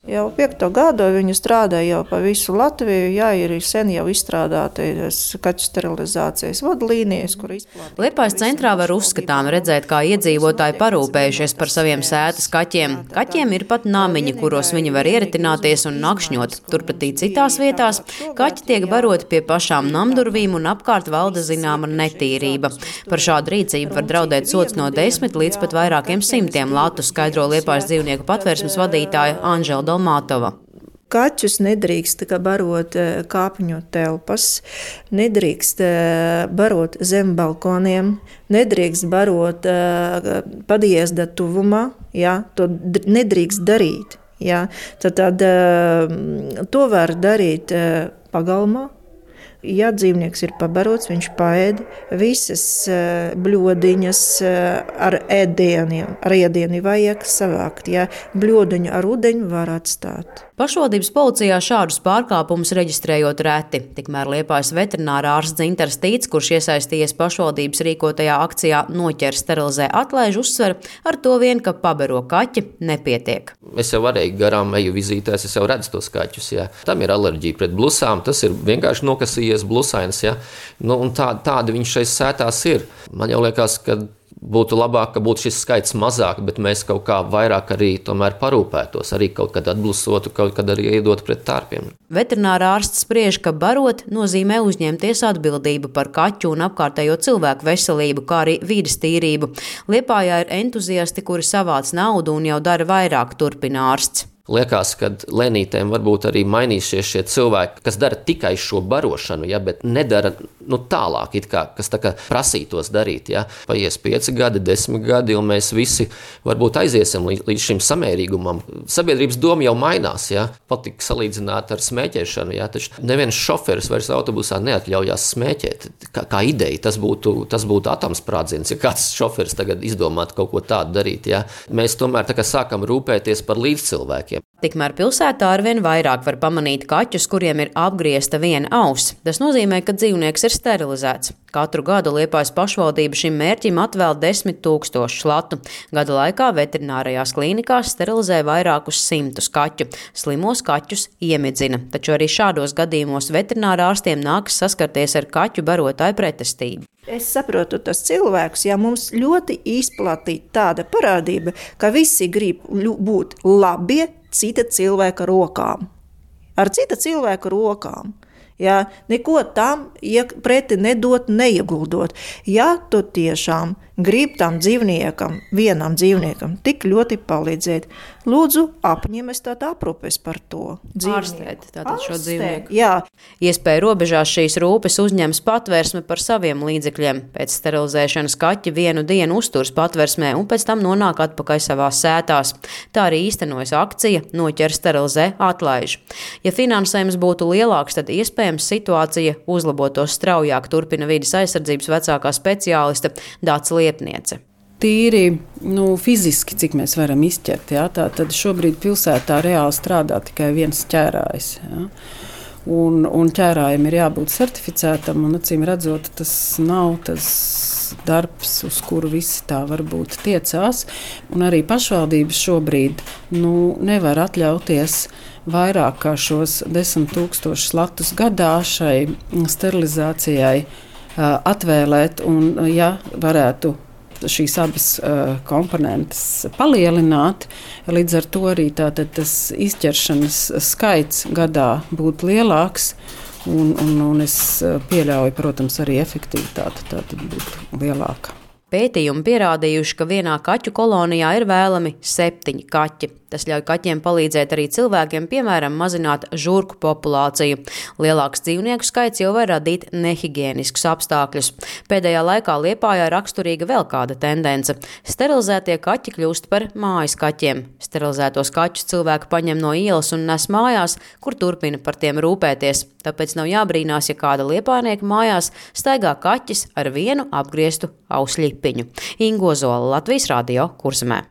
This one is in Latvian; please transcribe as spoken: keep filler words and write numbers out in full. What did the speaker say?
Jau piekto gadu viņi strādā jau pa visu Latviju, jā, ir sen jau izstrādātas kaķu sterilizācijas vadlīnijas, kur izplatīta. Liepājas centrā var uzskatām redzēt, kā iedzīvotāji parūpējušies par saviem sētas kaķiem. Kaķiem ir pat namiņi, kuros viņi var ieritināties un nakšņot. Turpretī citās vietās kaķi tiek baroti pie pašām namdurvīm un apkārt valda zināma netīrība. Par šādu rīcību var draudēt sods no desmit līdz pat vairākiem simtiem latu, skaidro Liepājas dzīvnieku patvērsmes vadītāja Anžela Mātova. Kaķus nedrīkst barot kāpņu telpas, nedrīkst barot zem balkoniem, nedrīkst barot podjezda tuvumā, jā, to nedrīkst darīt. Jā. Tad, tad to var darīt pagalmā. Ja dzīvnieks ir pabarots, viņš paēd visas bļodiņas ar ēdieniem. Ar ēdieni vajag savākt, ja bļodiņu ar ūdeņu var atstāt. Pašvaldības policijā šādus pārkāpumus reģistrējot reti. Tikmēr Liepājas veterinārā ārsts Dzintars Tīts, kurš iesaistījies pašvaldības rīkotajā akcijā Noķer, sterilizē, atlaiž, uzsver, ar to vien, ka pabaro kaķi nepietiek. Es jau varēju garām eju vizītēs, es jau redzu tos kaķus. Jā. Tam ir alerģija pret blusām, tas ir vienkārši nokasījies blusains. Jā. Nu, un tā, tādi viņš šeit sētās ir. Man jau liekas, ka būtu labāk, ka būtu šis skaits mazāk, bet mēs kaut kā vairāk arī tomēr parūpētos, arī kaut kad atblusotu, kaut kad arī iedot pret tārpiem. Veterinārā ārsts spriež, ka barot nozīmē uzņemties atbildību par kaķu un apkārtējo cilvēku veselību, kā arī vides tīrību. Liepājā ir entuziasti, kuri savāc naudu un jau dara vairāk, turpina ārsts. Liekas, ka lēnītēm varbūt arī mainīsies šie cilvēki, kas dara tikai šo barošanu, ja, bet nedara nu, tālāk, it kā, kas tā kā prasītos darīt. Ja. Paies pieci gadi, desmit gadi, un mēs visi varbūt aiziesim līdz, līdz šim samērīgumam. Sabiedrības doma jau mainās, ja. Patika salīdzināt ar smēķēšanu, ja, taču neviens šoferis vairs autobusā neatļaujās smēķēt. Kā, kā ideja, tas būtu, tas būtu atomsprādziens, ja kāds šoferis tagad izdomātu kaut ko tādu darīt. Ja. Mēs tomēr tā kā sākam rūpēties par līdzcilvēkiem. Tikmēr pilsētā arvien vairāk var pamanīt kaķus, kuriem ir apgriezta viena auss. Tas nozīmē, ka dzīvnieks ir sterilizēts. Katru gadu Liepājas pašvaldība šim mērķim atvēl desmit tūkstošus latu. Gada laikā veterinārajās klīnikās sterilizē vairākus simtus kaķu. Slimos kaķus iemidzina, taču arī šādos gadījumos veterinārā ārstiem nākas saskarties ar kaķu barotāju pretestību. Es saprotu tas cilvēks, ja mums ļoti izplatīta tāda parādība, ka visi grib būt labi cita cilvēka rokām. Ar cita cilvēka rokām. Ja, neko tam preti nedot, neieguldot. Ja tu tiešām grib tam dzīvniekam, vienam dzīvniekam, tik ļoti palīdzēt, lūdzu, apņemies tātad aprūpes par to dzīvnieku. Ārstēt tātad šo dzīvnieku. Jā. Iespēja robežās šīs rūpes uzņems patvērsme par saviem līdzekļiem. Pēc sterilizēšanas kaķi vienu dienu uzturs patvērsmē un pēc tam nonāk atpakaļ savās sētās. Tā arī īstenojas akcija Noķer, sterilizē, atlaiž. Ja finansējums būtu lielāks, tad iespējams situācija uzlabotos straujāk, turpina vides aizsardzības vecākā speciāliste Dāca Liepniece. Tīri nu, fiziski, cik mēs varam izķert, jā, tā, tad šobrīd pilsētā reāli strādā tikai viens ķērājs. Jā. Un, un ķērājiem ir jābūt certificētam, un acīm redzot, tas nav tas darbs, uz kuru visi tā varbūt tiecās. Un arī pašvaldības šobrīd nu, nevar atļauties vairāk kā šos desmit tūkstošus latus gadā šai sterilizācijai uh, atvēlēt, un ja varētu šīs abas uh, komponentes palielināt, līdz ar to arī tātad tas izķeršanas skaits gadā būtu lielāks, un, un, un es pieļauju, protams, arī efektivitāte tātad būtu lielāka. Pētījumi pierādījuši, ka vienā kaķu kolonijā ir vēlami septiņi kaķi. Tas ļauj kaķiem palīdzēt arī cilvēkiem, piemēram, mazināt žurku populāciju. Lielāks dzīvnieku skaits jau var radīt nehigieniskus apstākļus. Pēdējā laikā Liepājā raksturīga vēl kāda tendence. Sterilizētie kaķi kļūst par mājas kaķiem. Sterilizētos kaķus cilvēki paņem no ielas un nes mājās, kur turpina par tiem rūpēties. Tāpēc nav jābrīnās, ja kāda liepājnieka mājās staigā kaķis ar vienu apgrieztu ausļipiņu. Ingo Zola, Latvijas radio, Kurzemē.